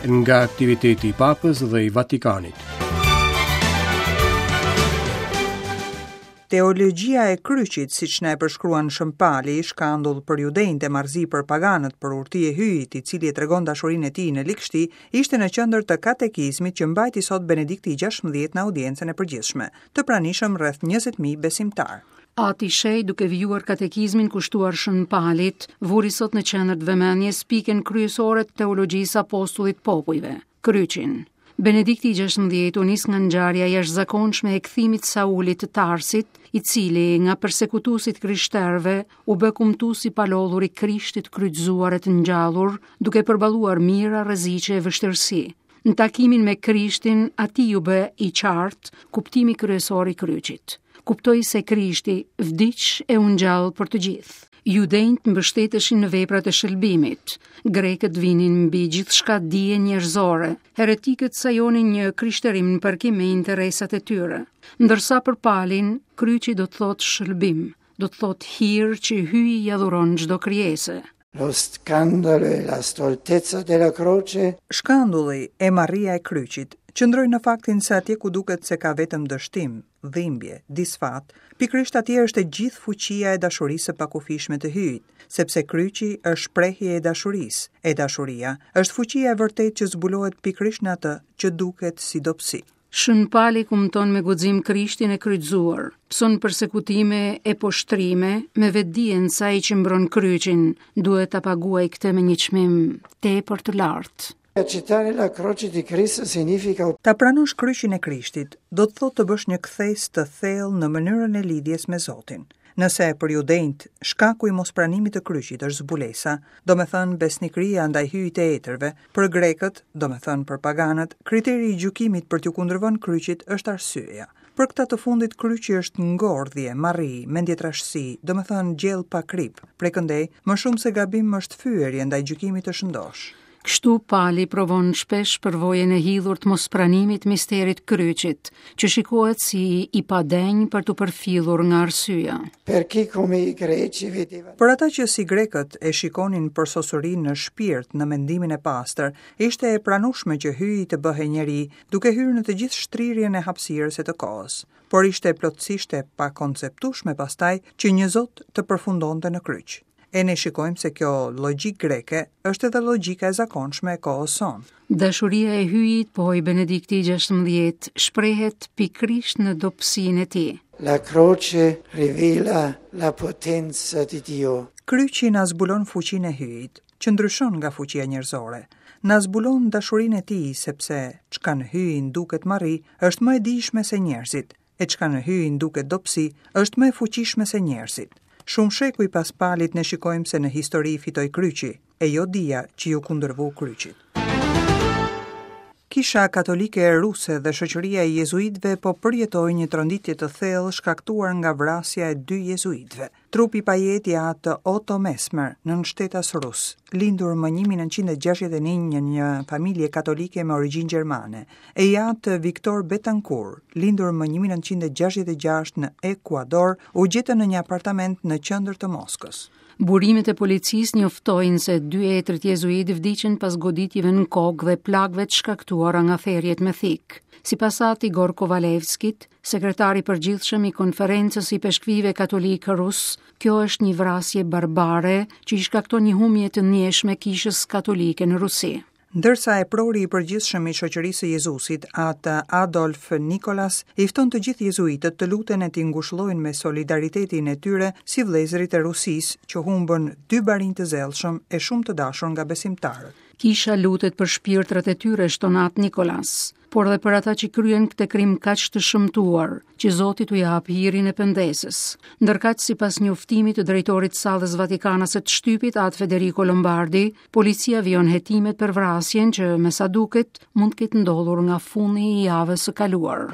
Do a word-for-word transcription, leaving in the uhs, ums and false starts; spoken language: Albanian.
Nga aktiviteti i Papës dhe i Vatikanit. Teologjia e kryqit, siç na e përshkruan Shën Pali, shkandull për judenjtë e marrëzi për paganët, për urti e Hyjit, i cili e tregon dashurinë e tij në ligështi, ishte në qendër të katekizmit që mbajti sot Benedikti i gjashtëmbëdhjetë në audiencën e përgjithshme, të pranishëm rreth njëzet mijë besimtar. Ati Shej, duke vijuar katekizmin kushtuar Shën Palit, vuri sot në qendër të vëmendjes pikën kryesore të teologjisë apostullit popujve, kryqin. Benedikti i gjashtëmbëdhjetë u nis nga ngjarja e jashtëzakonshme e kthimit Saulit të Tarsit, i cili nga persekutuesit krishterëve u bë kumtues i palodhur i Krishtit kryqëzuar e të ngjallur, duke përballuar mijëra rreziqe e vështirësi. Në takimin me Krishtin, atij u bë i qartë kuptimi kryesor i kryqit. Kuptoi se Krishti vdiq e u ngjall për të gjithë. Judenjt mbështeteshin në veprat e shëlbimit, grekët vinin mbi gjithçka dije njerëzore, heretikët sajonin një krishterim në përkim me interesat e tyre. Ndërsa për Palin, kryqi do të thotë shëlbim, do të thotë hir që Hyji ja dhuron çdo krijese. Lo scandalo e la stoltezza della croce. Shkandulli e marria e kryqit qëndroi në faktin se atje ku duket se ka vetëm dështim, dhimbje, disfat, pikërisht atje është e gjithë fuqia e dashurisë së pakufishme të Hyjit, sepse kryqi është shprehje e dashurisë, e dashuria është fuqia e vërtetë që zbulohet pikërisht në atë që duket si dobësi. Shën Pali kumton me guxim Krishtin e kryqëzuar, pson persekutime e poshtrime me vetdijen se ai që mbron kryqin duhet ta paguaj këtë me një çmim tepër të lartë. Accettare la croce di Cristo significa Ta pranosh kryqin e Krishtit do të thotë të bësh një kthesë të thellë në mënyrën e lidhjes me Zotin. Nëse për judenjt shkaku i mospranimit të kryqit është zbulesa, do me thënë besnikëria ndaj Hyjit të etërve, për grekët, do me thënë për paganët, kriteri i gjykimit për t'ju kundërvënë kryqit është arsyeja. Për këta të fundit kryqi është ngordhje, marri, mendjetrashësi, do me thënë gjell pa krip. Prej këndej, më shumë se gabim është fyerje ndaj gjykimit të shëndosh. Kështu Pali provon shpesh përvojën e hidhur të mospranimit misterit kryqit, që shikohet si i padenjë për t'u përfillur nga arsyeja. Per chi come i greci vedeva Për ata që si grekët e shikonin përsosurinë në shpirt, në mendimin e pastër, ishte e pranueshme që Hyji të bëhej njeri, duke hyrë në të gjithë shtrirjen e hapësirës e të kohës. Por ishte plotësisht e pakonceptueshme pastaj që një Zot të përfundonte në kryq. E ne shikojmë se kjo logjikë greke është edhe logjika e zakonshme e kohës sonë. Dashuria e Hyjit, pohoi Benedikti i gjashtëmbëdhjetë, shprehet pikërisht në dobësinë e tij. La croce rivela la potenza di Dio. Kryqi na zbulon fuqinë e Hyjit, që ndryshon nga fuqia njerëzore. Na zbulon dashurinë e tij, sepse çka në Hyjin duket marri, është më e dijshme se njerëzit, e çka në Hyjin duket dobësi, është më e fuqishme se njerëzit. Shumë shekuj pas Palit ne shikojmë se në histori fitoi kryqi, e jo dija që ju kundërvu kryqit. Kisha Katolike Ruse dhe Shoqëria e Jezuitëve po përjetojnë një tronditje të thellë shkaktuar nga vrasja e dy jezuitëve. Trupi i pajetë i atë Otto Mesmer, nënshtetas rus, lindur më një mijë e nëntëqind e gjashtëdhjetë e një në një familje katolike me origjinë gjermane, e i atë Victor Betancourt, lindur më një mijë e nëntëqind e gjashtëdhjetë e gjashtë në Ekuador, u gjetën në një apartament në qendër të Moskës. Burimet e policisë njoftojnë se dy etrit jezuit vdiqën pas goditjeve në kokë dhe plagëve të shkaktuara nga therjet me thikë. Sipas Ati Igor Kovalevskit, sekretari i përgjithshëm i Konferencës i Peshkvive Katolikë Rus, kjo është një vrasje barbare që i shkakton një humbje të ndjeshme kishës katolike në Rusi. Ndërsa eprori i përgjithshëm i Shoqërisë së Jezusit, atë Adolf Nikolas, i fton të gjithë jezuitët të luten e t'i ngushëllojnë me solidaritetin e tyre si vëllezërit e Rusisë që humbën dy barinj të zellshëm e shumë të dashur nga besimtarët. Kisha lutet për shpirtrat e tyre, shton atë Nikolas, por edhe për ata që kryen këtë krim kaq të shëmtuar, që Zoti t'u jap hirin e pendesës. Ndërkaq, sipas njoftimit të drejtorit të sallës Vatikanase të shtypit, atë Federico Lombardi, policia vijon hetimet për vrasjen që, me sa duket, mund të ketë ndodhur nga fundi i javës së kaluar.